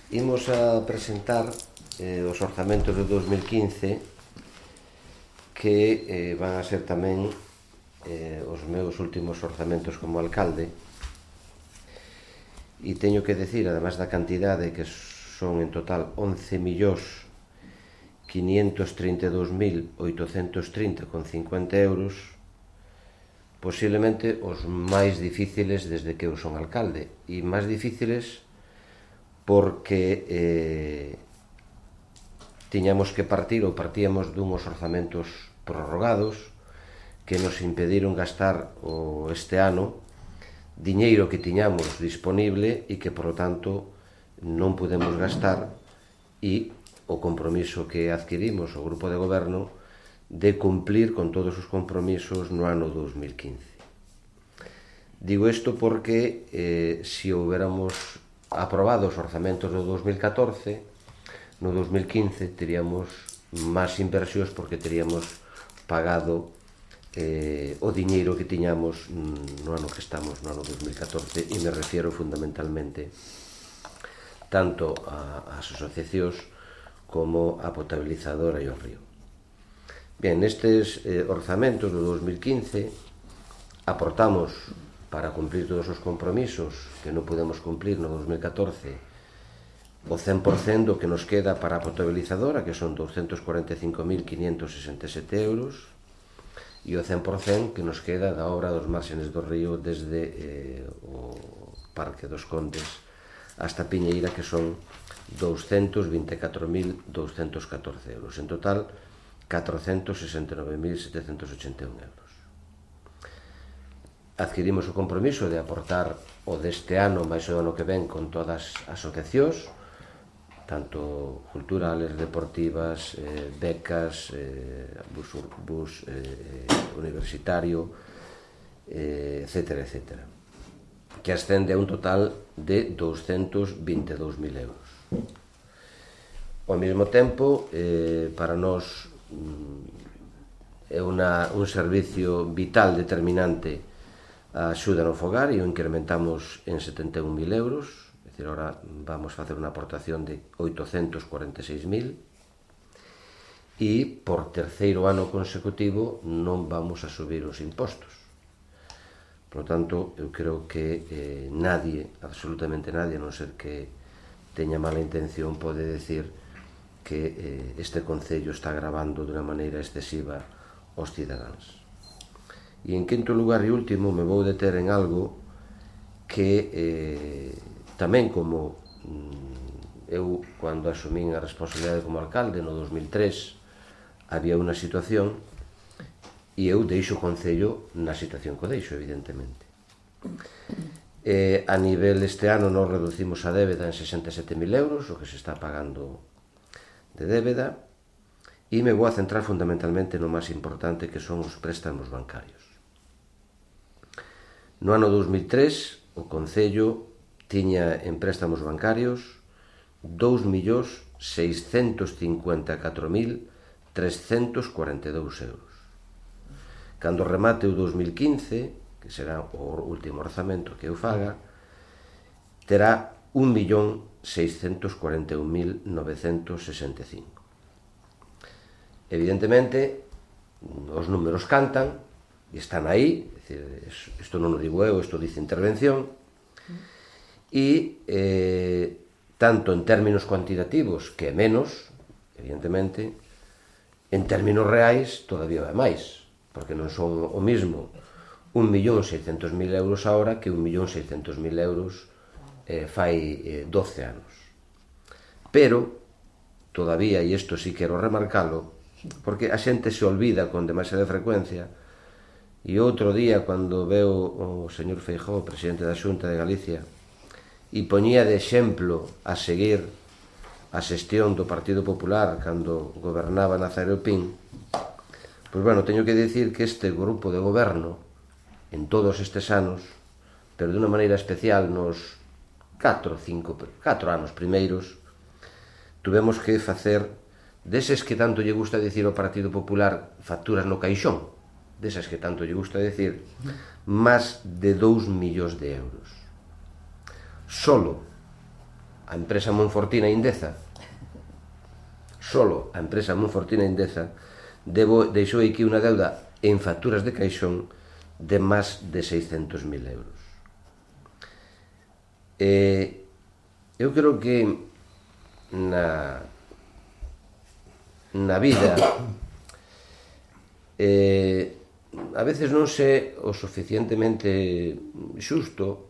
Imos a presentar os orzamentos de 2015 que van a ser tamén os meus últimos orzamentos como alcalde, e teño que decir, además da cantidade, que son en total 11.532.830,50 euros, posiblemente os máis difíciles desde que eu son alcalde, e máis difíciles porque tiñamos que partir ou partíamos dunhos orzamentos prorrogados que nos impediron gastar este ano diñeiro que tiñamos disponible e que, por lo tanto, non podemos gastar, e o compromiso que adquirimos o grupo de goberno de cumplir con todos os compromisos no ano 2015. Digo isto porque se houbéramos aprobado os orzamentos do 2014, no 2015 teríamos máis inversións porque teríamos pagado o diñeiro que tiñamos no ano que estamos, no ano 2014, e me refiero fundamentalmente tanto ás asociacións como a potabilizadora e o río. Bien, nestes orzamentos do 2015 aportamos para cumplir todos os compromisos que non podemos cumplir no 2014 o 100% do que nos queda para a potabilizadora, que son 245.567 euros, e o 100% que nos queda da obra dos márgenes do río desde o Parque dos Condes hasta Piñeira, que son 224.214 euros. En total, 469.781 euros. Adquirimos o compromiso de aportar o deste ano máis o ano que ven con todas as asociacións, tanto culturales, deportivas, becas, bus universitario, etcétera, etcétera, que ascende a un total de 222.000 euros. Ao mesmo tempo, para nós é un servicio vital determinante a axuda no fogar, e o incrementamos en 71.000 euros. Ahora vamos a facer unha aportación de 846.000, e por terceiro ano consecutivo non vamos a subir os impostos. Por lo tanto, eu creo que nadie, absolutamente nadie, a non ser que teña mala intención, pode decir que este concello está gravando de unha maneira excesiva aos cidadáns. E en quinto lugar e último, me vou deter en algo que tamén, como eu, cando asumín a responsabilidade como alcalde no 2003, había unha situación, e eu deixo o concello na situación que o deixo, evidentemente. A nivel este ano nos reducimos a débeda en 67.000 euros, o que se está pagando de débeda, e me vou a centrar fundamentalmente no máis importante, que son os préstamos bancarios. No ano 2003, o concello tiña en préstamos bancarios 2.654.342 euros. Cando remate o 2015, que será o último orzamento que eu faga, terá 1.641.965. Evidentemente, os números cantan e están aí, isto non o digo eu, isto dice intervención, e tanto en términos cuantitativos, que é menos, evidentemente, en términos reais todavía é máis, porque non son o mismo 1.600.000 euros agora que 1.600.000 euros fai 12 anos. Pero, todavía, e isto sí quero remarcalo, porque a xente se olvida con demasiada frecuencia, e outro día, cando veo o señor Feijóo, presidente da Xunta de Galicia, e poñía de exemplo a seguir a xestión do Partido Popular cando gobernaba Nazario Pin, pois, bueno, teño que dicir que este grupo de goberno, en todos estes anos, pero de unha maneira especial nos 4 anos primeiros, tuvemos que facer deses que tanto lle gusta dicir ao Partido Popular facturas no caixón, desas que tanto lle gusta dicir, máis de 2 millóns de euros. Solo a empresa Monfortina Indeza, solo a empresa Monfortina Indeza, deixou aquí unha deuda en facturas de caixón de máis de 600.000 euros. Eu creo que na vida a veces non sé o suficientemente xusto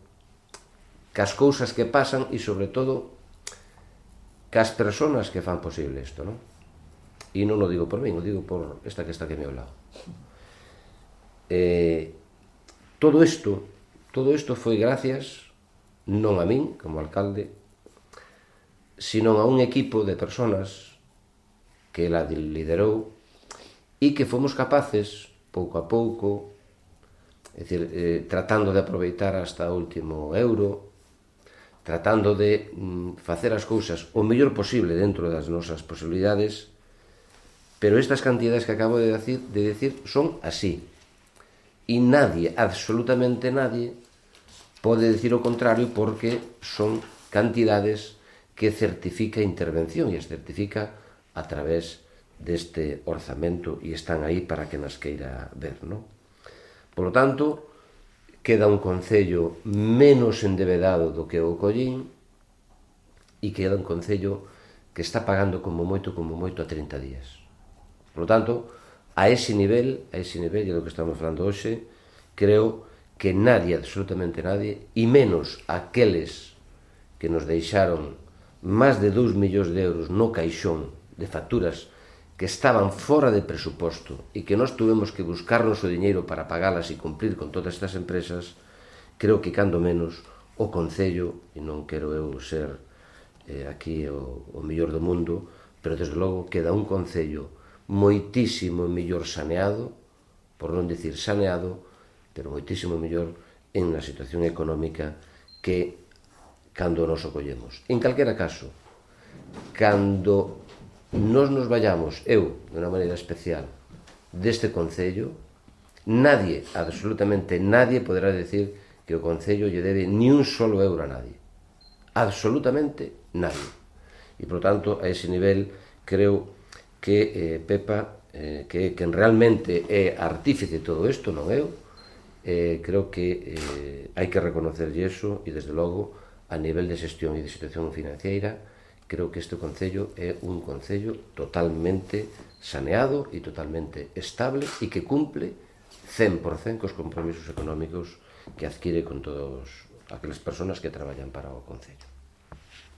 cas cousas que pasan e, sobre todo, cas persoas que fan posible isto, non? E non o digo por min, o digo por esta que está aquí ao meu lado. Todo isto foi gracias non a min, como alcalde, sino a un equipo de persoas que la liderou e que fomos capaces, pouco a pouco, é dicir, tratando de aproveitar hasta o último euro, tratando de facer as cousas o mellor posible dentro das nosas posibilidades, pero estas cantidades que acabo de decir son así. E nadie, absolutamente nadie, pode decir o contrario, porque son cantidades que certifica a intervención e as certifica a través deste orzamento e están aí para que nas queira ver, non? Por lo tanto, queda un concello menos endevedado do que o Collín e queda un concello que está pagando como moito a 30 días. Por lo tanto, a ese nivel, e do que estamos falando hoxe, creo que nadie, absolutamente nadie, e menos aqueles que nos deixaron máis de 2 millóns de euros no caixón de facturas que estaban fora de presuposto e que nós tuvemos que buscarnos o diñeiro para pagalas e cumprir con todas estas empresas, creo que, cando menos, o Concello, e non quero eu ser aquí o mellor do mundo, pero, desde logo, queda un Concello moitísimo mellor saneado, por non dicir saneado, pero moitísimo mellor en a situación económica que cando nos o collemos. En calquera caso, cando nos vayamos, eu, de unha maneira especial, deste Concello, nadie, absolutamente nadie, poderá decir que o Concello lle debe ni un solo euro a nadie. Absolutamente nadie. E, por tanto, a ese nivel, creo que Pepa, que quen realmente é artífice de todo isto, non eu, creo que hai que reconocerlle iso e, desde logo, a nivel de xestión e de situación financiera, creo que este Concello é un Concello totalmente saneado e totalmente estable e que cumple 100% cos compromisos económicos que adquire con todas aquelas persoas que traballan para o Concello.